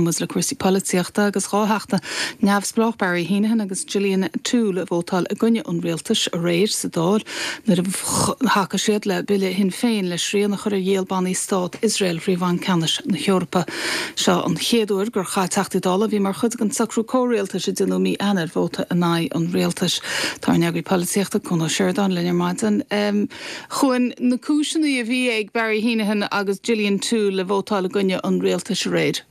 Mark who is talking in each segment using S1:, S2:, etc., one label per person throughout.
S1: Ghlacann muid le cúrsaí polaitíochta agus 2 theachta neamhspleách, Barry Heneghan agus Gillian Toole, a vótáil i gcoinne an rialtais aréir sa Dáil nuair a thacaigh siad le bille Shinn Féin le srian a chur ar dhíol bannaí Stát Iosrael thrí Bhanc Ceannais na hEorpa. Seo an chéad uair gur chaith Teachtaí Dála a bhí mar chuid den socrú comhrialtais a déanadh mí Eanáir vóta in aghaidh an rialtais. Tá ár n-eagraí polaitíochta, Cuan Ó Seireadáin, linn ar maidin. Chuan, na cúiseanna a bhí ag Barry Heneghan agus Gillian Toole le vótáil i gcoinne an rialtais aréir.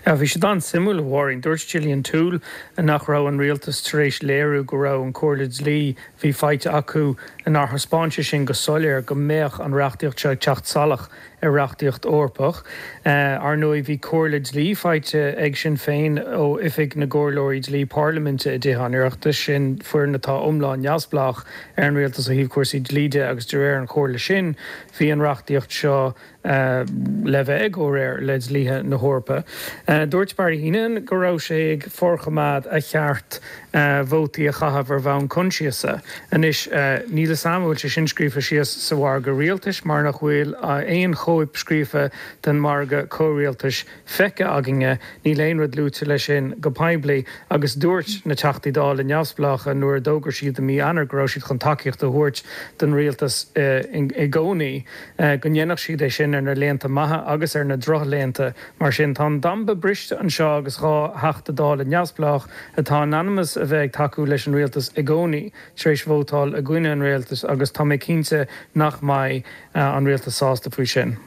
S2: Bhí siad an-suimiúil, a Mháirín. Dúirt Gillian Toole nach raibh an rialtas tar éis léiriú go raibh an chomhairle dlí a bhí faighte acu, nár thaispeáin sé sin go soiléir go mbeadh an reachtaíocht seo ag teacht salach ar reachtaíocht Eorpach. Ar ndóigh, bhí comhairle dlí faighte ag Sinn Féin ó Oifig na gComhairleoirí Dlí Parlaiminte i dTithe an Oireachtais, sin foireann atá iomlán neamhspleách ar an rialtas ó thaobh cúrsaí dlí de agus de réir an chomhairle sin, bhí an reachtaíocht seo le bheith i gcomhréir le dlíthe na hEorpa. Dúirt Barry Heneghan go raibh sé ag forchoimeád a cheart vótaí a chaitheamh ar bhonn coinsiasa. Anois, níl fhios a'm an bhfuil sé sin scríofa síos sa mhargadh rialtais mar nach bhfuil aon chóip scríofa den mhargadh comhrialtais feicthe againne. Níl aon rud luaite leis sin go poiblí agus dúirt na Teachtaí Dála neamhspleácha nuair a d'fhógair siad i mí Eanáir go raibh siad chun tacaíocht a thabhairt don rialtas i gcónaí, go ndéanfadh siad é sin ar na laethanta maithe agus ar na drochlaethanta. Mar sin, tá an damba briste anseo agus 2 Theachta Dála neamhspleách atá in ainm is a bheith ag tacú leis an rialtas i gcónaí tar éis vótáil i gcoinne an rialtais agus tá mé cinnte nach mbeidh an rialtas sásta faoi sin.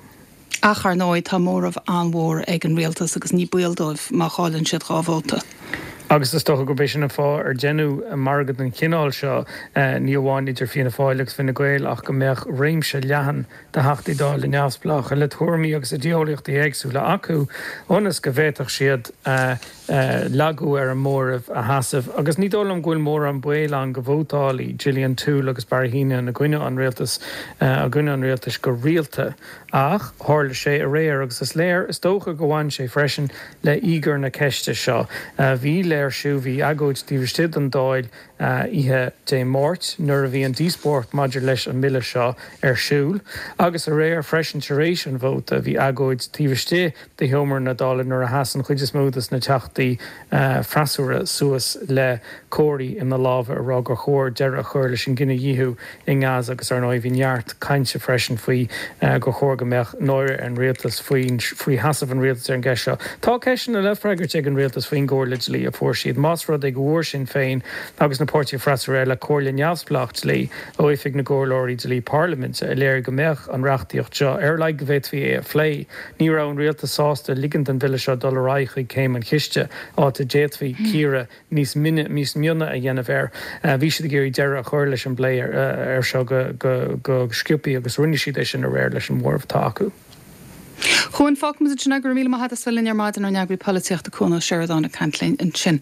S1: Ach, ar ndóigh, tá móramh an-mhór ag an rialtas agus ní baol dóibh má chailleann siad 2 vóta.
S2: Agus is dócha gurb é sin an fáth ar deineadh margadh den chineál seo, ní amháin idir Fianna Fáil agus Fine Gael ach go mbeadh réimse leathan de Theachtaí Dála neamhspleácha le tuairimí agus idé-eolaíochtaí éagsúla acu ionas go bhféadfadh siad lagú ar an móramh a sheasamh. Agus ní dóigh liom go bhfuil mórán baol ann go vótálfaidh Gillian Toole agus Barry Heneghan i gcoinne an rialtais i gcoinne an rialtais go rialta. Ach tharla sé aréir agus is léir, is dócha go bhain sé freisin le híogair na ceiste seo. Bhí léirsiú, bhí agóid taobh istigh den Dáil oíche Dé Máirt nuair a bhí an díospóireacht maidir leis an mbille seo ar siúl agus aréir freisin tar éis an vóta bhí agóid taobh istigh de sheomra na Dála nuair a sheas an chuid is mó de na teachtaí freasúra suas le comharthaí ina lámha ag rá gur chóir deireadh a chur leis an gcinedhíothú i nGaza agus ar ndóigh bhí neart cainte freisin faoi gur chóir go mbeadh náire ar an rialtas faoi sheasamh an rialtais ar an gceist seo. Tá ceisteanna le freagairt ag an rialtas faoin gcomhairle dlí a fuair siad. Más rud é go bhfuair Sinn Féin agus na páirtithe freasúra eile comhairle neamhspleách dlí ó Oifig na gComhairleoirí Dlí Parlaiminte a léirigh go mbeadh an reachtaíocht seo, ar a laghad go bhféadfaí é a phlé, ní raibh an rialtas sásta ligean don bhille seo dul ar aghaidh chuig céim an chiste, áit a d'fhéadfaí cíoradh níos mine, níos mione a dhéanamh air. Bhí siad ag iarraidh deireadh a chur leis an bplé air seo go sciobtha agus rinne siad é sin aréir leis an móramh atá acu.
S1: Chuan, fágfaimid ansin é. Go raibh míle maith agat as bheith linn ar maidin, ár n-eagraí polaitíochta Cuan Ó Seireadáin ag caint linn ansin.